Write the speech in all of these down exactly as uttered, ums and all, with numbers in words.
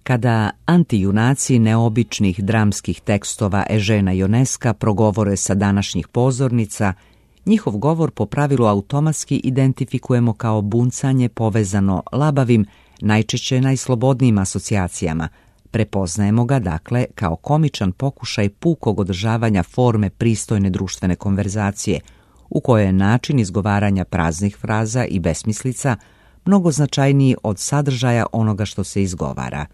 Kada antijunaci neobičnih dramskih tekstova Eugena Ionesca progovore sa današnjih pozornica, njihov govor po pravilu automatski identifikujemo kao buncanje povezano labavim, najčešće najslobodnijim asocijacijama. Prepoznajemo ga, dakle, kao komičan pokušaj pukog održavanja forme pristojne društvene konverzacije, u kojoj je način izgovaranja praznih fraza i besmislica mnogo značajniji od sadržaja onoga što se izgovara.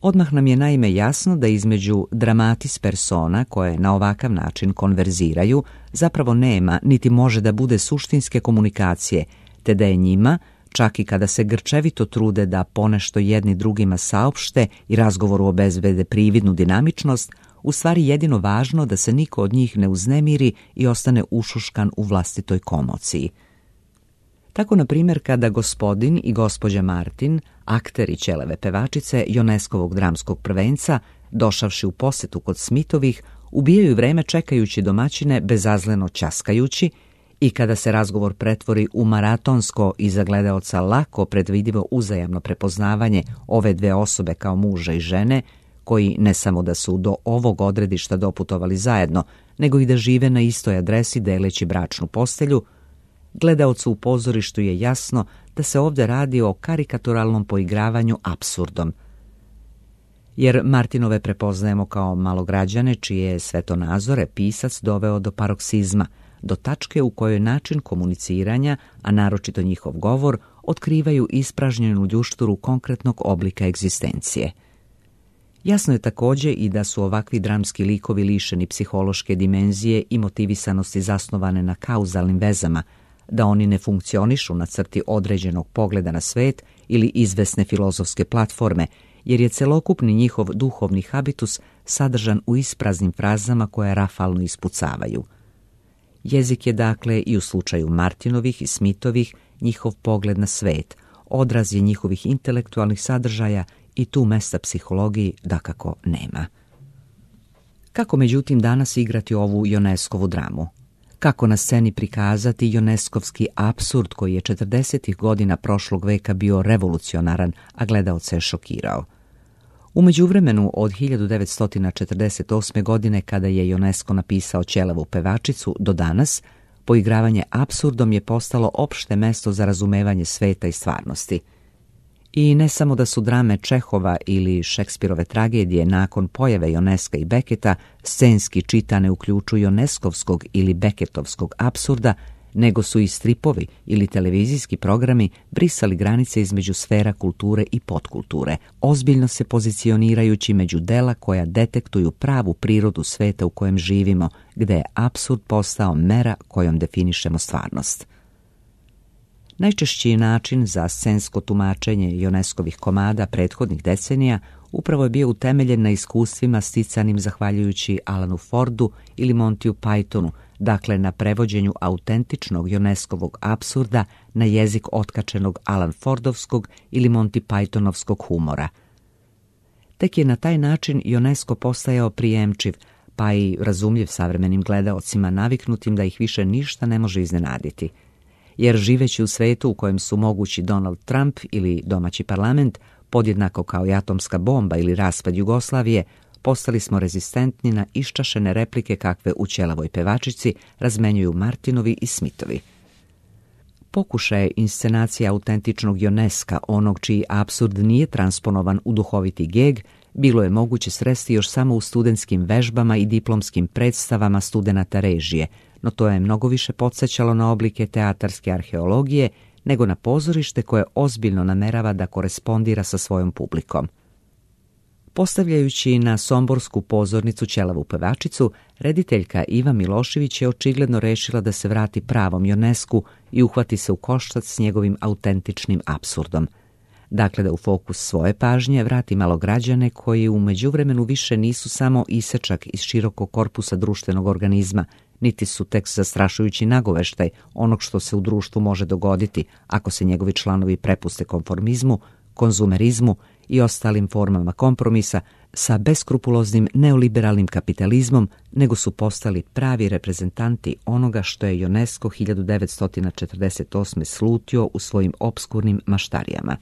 Odmah nam je naime jasno da između dramatis persona koje na ovakav način konverziraju zapravo nema niti može da bude suštinske komunikacije, te da je njima, čak i kada se grčevito trude da ponešto jedni drugima saopšte i razgovoru obezbede prividnu dinamičnost, u stvari jedino važno da se niko od njih ne uznemiri i ostane ušuškan u vlastitoj komociji. Tako, na primjer, kada gospodin i gospođa Martin, akteri ćelave pevačice Ionescovog dramskog prvenca, došavši u posetu kod Smithovih, ubijaju vreme čekajući domaćine bezazleno ćaskajući, i kada se razgovor pretvori u maratonsko i za gledaoca lako predvidivo uzajamno prepoznavanje ove dve osobe kao muža i žene, koji ne samo da su do ovog odredišta doputovali zajedno, nego i da žive na istoj adresi deleći bračnu postelju, gledaocu u pozorištu je jasno da se ovdje radi o karikaturalnom poigravanju apsurdom. Jer Martinove prepoznajemo kao malograđane čije je svetonazore pisac doveo do paroksizma, do tačke u kojoj način komuniciranja, a naročito njihov govor, otkrivaju ispražnjenu ljušturu konkretnog oblika egzistencije. Jasno je također i da su ovakvi dramski likovi lišeni psihološke dimenzije i motivisanosti zasnovane na kauzalnim vezama, da oni ne funkcionišu na crti određenog pogleda na svet ili izvesne filozofske platforme, jer je celokupni njihov duhovni habitus sadržan u ispraznim frazama koje rafalno ispucavaju. Jezik je, dakle, i u slučaju Martinovih i Smithovih njihov pogled na svet, odraz je njihovih intelektualnih sadržaja i tu mesta psihologiji dakako nema. Kako međutim danas igrati ovu Ionescovu dramu? Kako na sceni prikazati ionescovski apsurd koji je četrdesetih godina prošlog veka bio revolucionaran, a gledaoce je šokirao? U međuvremenu od hiljadu devetsto četrdeset osme. godine, kada je Ionesco napisao Ćelavu pevačicu, do danas, poigravanje apsurdom je postalo opšte mesto za razumevanje sveta i stvarnosti. I ne samo da su drame Čehova ili Šekspirove tragedije nakon pojave Ionesca i Becketa scenski čitane u ključu ionescovskog ili Becketovskog apsurda, nego su i stripovi ili televizijski programi brisali granice između sfera kulture i podkulture, ozbiljno se pozicionirajući među dela koja detektuju pravu prirodu sveta u kojem živimo, gde je apsurd postao mera kojom definišemo stvarnost. Najčešći način za scensko tumačenje Ionescovih komada prethodnih decenija upravo je bio utemeljen na iskustvima sticanim zahvaljujući Alanu Fordu ili Montiju Pythonu, dakle na prevođenju autentičnog Ionescovog apsurda na jezik otkačenog Alan Fordovskog ili Monty Pythonovskog humora. Tek je na taj način Ionesco postajao prijemčiv, pa i razumljiv savremenim gledaocima naviknutim da ih više ništa ne može iznenaditi. Jer živeći u svetu u kojem su mogući Donald Trump ili domaći parlament, podjednako kao i atomska bomba ili raspad Jugoslavije, postali smo rezistentni na iščašene replike kakve u Ćelavoj pevačici razmenjuju Martinovi i Smithovi. Pokušaj inscenacije autentičnog Ionesca, onog čiji apsurd nije transponovan u duhoviti geg, bilo je moguće sresti još samo u studentskim vežbama i diplomskim predstavama studenata režije, no to je mnogo više podsjećalo na oblike teatarske arheologije nego na pozorište koje ozbiljno namerava da korespondira sa svojom publikom. Postavljajući na somborsku pozornicu Ćelavu pevačicu, rediteljka Iva Milošević je očigledno rešila da se vrati pravom Ionescu i uhvati se u koštac s njegovim autentičnim apsurdom. Dakle, da u fokus svoje pažnje vrati malograđane koji u međuvremenu više nisu samo isečak iz širokog korpusa društvenog organizma, niti su tek zastrašujući nagoveštaj onog što se u društvu može dogoditi ako se njegovi članovi prepuste konformizmu, konzumerizmu i ostalim formama kompromisa sa beskrupuloznim neoliberalnim kapitalizmom, nego su postali pravi reprezentanti onoga što je Ionesco hiljadu devetsto četrdeset osme slutio u svojim opskurnim maštarijama.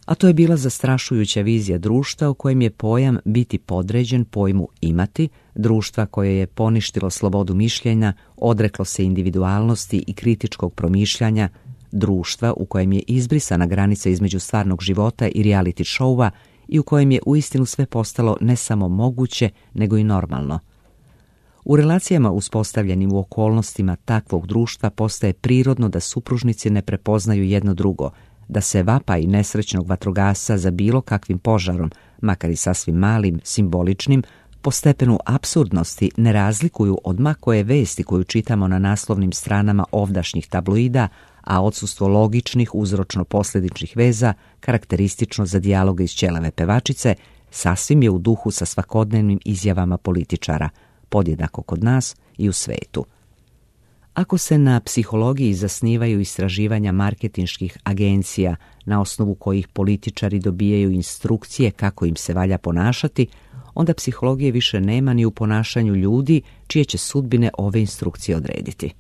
A to je bila zastrašujuća vizija društva u kojem je pojam biti podređen pojmu imati, društva koje je poništilo slobodu mišljenja, odreklo se individualnosti i kritičkog promišljanja, društva u kojem je izbrisana granica između stvarnog života i reality showa i u kojem je uistinu sve postalo ne samo moguće, nego i normalno. U relacijama uspostavljenim u okolnostima takvog društva postaje prirodno da supružnici ne prepoznaju jedno drugo, da se vapaj nesrećnog vatrogasca za bilo kakvim požarom, makar i sasvim malim, simboličnim, po stepenu apsurdnosti ne razlikuju od ma koje vesti koju čitamo na naslovnim stranama ovdašnjih tabloida, a odsustvo logičnih uzročno-posljedičnih veza, karakteristično za dijaloge iz Ćelave pevačice, sasvim je u duhu sa svakodnevnim izjavama političara, podjednako kod nas i u svetu. Ako se na psihologiji zasnivaju istraživanja marketinških agencija na osnovu kojih političari dobijaju instrukcije kako im se valja ponašati, onda psihologije više nema ni u ponašanju ljudi čije će sudbine ove instrukcije odrediti.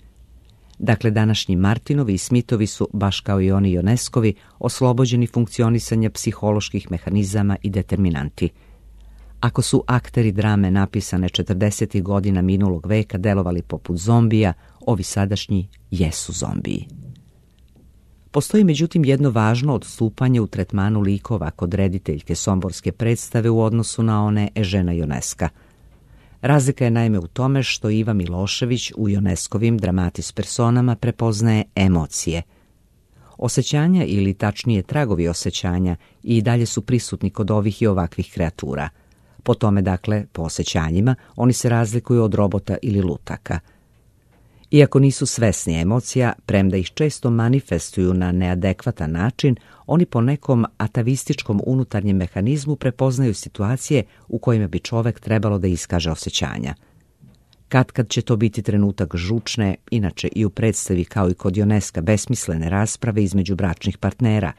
Dakle, današnji Martinovi i Smithovi su, baš kao i oni Ionescovi, oslobođeni funkcionisanja psiholoških mehanizama i determinanti. Ako su akteri drame napisane četrdesetih godina minulog veka delovali poput zombija, ovi sadašnji jesu zombiji. Postoji međutim jedno važno odstupanje u tretmanu likova kod rediteljke somborske predstave u odnosu na one Ežena Ionesca. Razlika je naime u tome što Iva Milošević u Ionescovim dramatis personama prepoznaje emocije. Osjećanja ili tačnije tragovi osjećanja i dalje su prisutni kod ovih i ovakvih kreatura. Po tome, dakle, po osjećanjima, oni se razlikuju od robota ili lutaka. Iako nisu svesni emocija, premda ih često manifestuju na neadekvatan način, oni po nekom atavističkom unutarnjem mehanizmu prepoznaju situacije u kojima bi čovek trebalo da iskaže osjećanja. Katkad će to biti trenutak žučne, inače i u predstavi kao i kod Ionesca besmislene rasprave između bračnih partnera.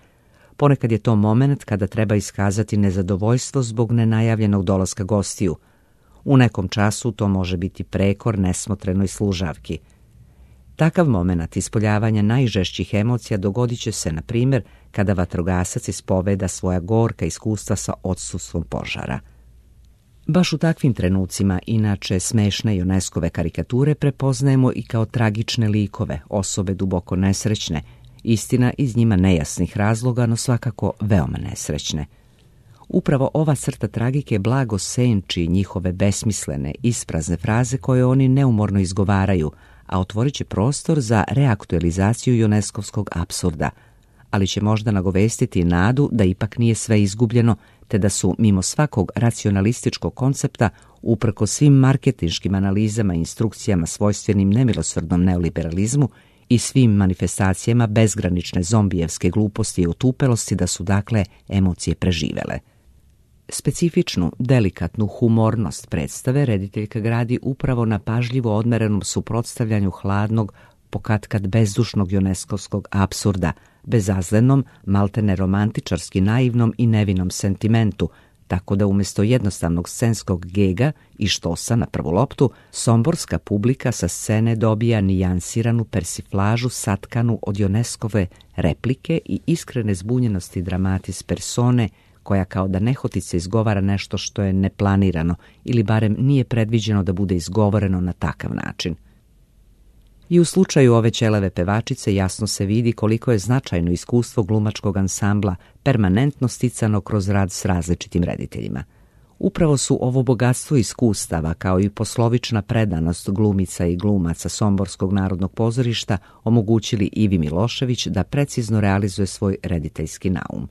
Ponekad je to moment kada treba iskazati nezadovoljstvo zbog nenajavljenog dolaska gostiju. U nekom času to može biti prekor nesmotrenoj služavki. Takav moment ispoljavanja najžešćih emocija dogodit će se, na primjer, kada vatrogasac ispoveda svoja gorka iskustva sa odsustvom požara. Baš u takvim trenucima, inače smešne Ionescove karikature prepoznajemo i kao tragične likove, osobe duboko nesrećne, istina iz njima nejasnih razloga, no svakako veoma nesrećne. Upravo ova crta tragike blago senči njihove besmislene, isprazne fraze koje oni neumorno izgovaraju, a otvorit će prostor za reaktualizaciju Ionescovskog apsurda, ali će možda nagovestiti nadu da ipak nije sve izgubljeno, te da su, mimo svakog racionalističkog koncepta, uprkos svim marketinškim analizama i instrukcijama svojstvenim nemilosrdnom neoliberalizmu i svim manifestacijama bezgranične zombijevske gluposti i otupelosti, da su, dakle, emocije preživele. Specifičnu, delikatnu humornost predstave rediteljka gradi upravo na pažljivo odmerenom suprotstavljanju hladnog, pokatkad bezdušnog Ionescovskog apsurda, bezazlenom, maltene romantičarski naivnom i nevinom sentimentu, tako da umjesto jednostavnog scenskog gega i štosa na prvu loptu, somborska publika sa scene dobija nijansiranu persiflažu satkanu od Ionescove replike i iskrene zbunjenosti dramatis persone, koja kao da nehotice izgovara nešto što je neplanirano ili barem nije predviđeno da bude izgovoreno na takav način. I u slučaju ove Ćelave pevačice jasno se vidi koliko je značajno iskustvo glumačkog ansambla permanentno sticano kroz rad s različitim rediteljima. Upravo su ovo bogatstvo iskustava, kao i poslovična predanost glumica i glumaca Somborskog narodnog pozorišta omogućili Ivi Milošević da precizno realizuje svoj rediteljski naum.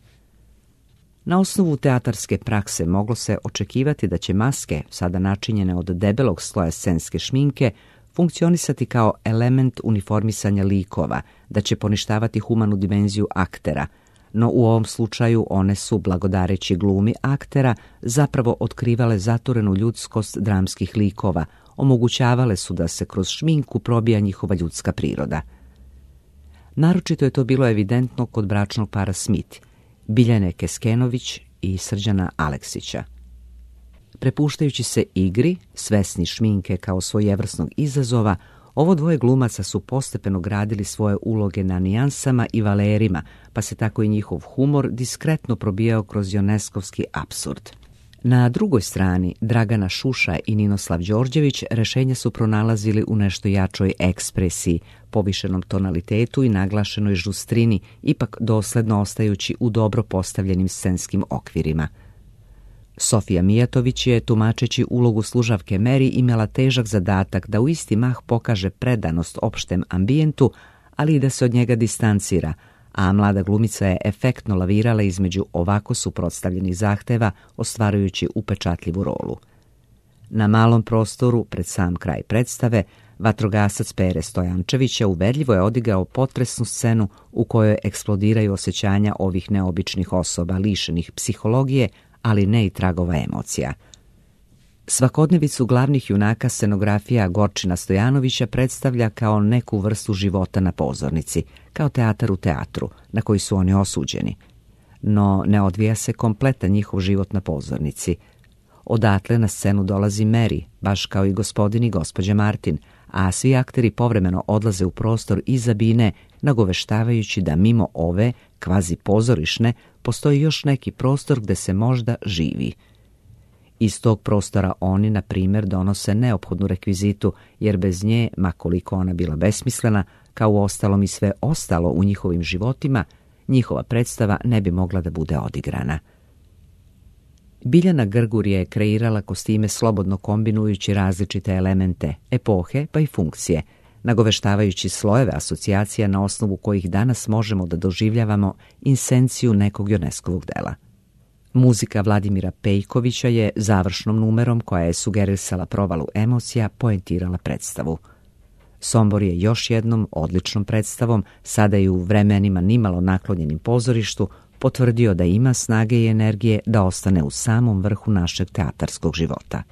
Na osnovu teatarske prakse moglo se očekivati da će maske, sada načinjene od debelog sloja scenske šminke, funkcionisati kao element uniformisanja likova, da će poništavati humanu dimenziju aktera, no u ovom slučaju one su, blagodareći glumi aktera, zapravo otkrivale zaturenu ljudskost dramskih likova, omogućavale su da se kroz šminku probija njihova ljudska priroda. Naročito je to bilo evidentno kod bračnog para Smith, Biljane Keskenović i Srđana Aleksića. Prepuštajući se igri, svesni šminke kao svojevrsnog izazova, Ovo dvoje glumaca su postepeno gradili svoje uloge na nijansama i valerima, pa se tako i njihov humor diskretno probijao kroz joneskovski apsurd. Na drugoj strani, Dragana Šuša i Ninoslav Đorđević rešenja su pronalazili u nešto jačoj ekspresiji, povišenom tonalitetu i naglašenoj žustrini, ipak dosledno ostajući u dobro postavljenim scenskim okvirima. Sofija Mijatović je, tumačeći ulogu služavke Meri, imala težak zadatak da u isti mah pokaže predanost opštem ambijentu, ali i da se od njega distancira, a mlada glumica je efektno lavirala između ovako suprotstavljenih zahteva, ostvarujući upečatljivu rolu. Na malom prostoru, pred sam kraj predstave, vatrogasac Pere Stojančevića uverljivo je odigrao potresnu scenu u kojoj eksplodiraju osjećanja ovih neobičnih osoba, lišenih psihologije, ali ne i tragova emocija. Svakodnevicu glavnih junaka scenografija Gorčina Stojanovića predstavlja kao neku vrstu života na pozornici, kao teatar u teatru, na koji su oni osuđeni. No ne odvija se kompletan njihov život na pozornici. Odatle na scenu dolazi Meri, baš kao i gospodin i gospođa Martin, a svi akteri povremeno odlaze u prostor iza bine, nagoveštavajući da mimo ove, kvazi pozorišne, postoji još neki prostor gde se možda živi. Iz tog prostora oni, na primjer, donose neophodnu rekvizitu, jer bez nje, ma koliko ona bila besmislena, kao u ostalom i sve ostalo u njihovim životima, njihova predstava ne bi mogla da bude odigrana. Biljana Grgur je kreirala kostime slobodno kombinujući različite elemente, epohe pa i funkcije, nagoveštavajući slojeve asocijacija na osnovu kojih danas možemo da doživljavamo insenciju nekog Joneskovog dela. Muzika Vladimira Pejkovića je završnom numerom, koja je sugerisala provalu emocija, poentirala predstavu. Sombor je još jednom odličnom predstavom, sada i u vremenima nimalo naklonjenim pozorištu, potvrdio da ima snage i energije da ostane u samom vrhu našeg teatarskog života.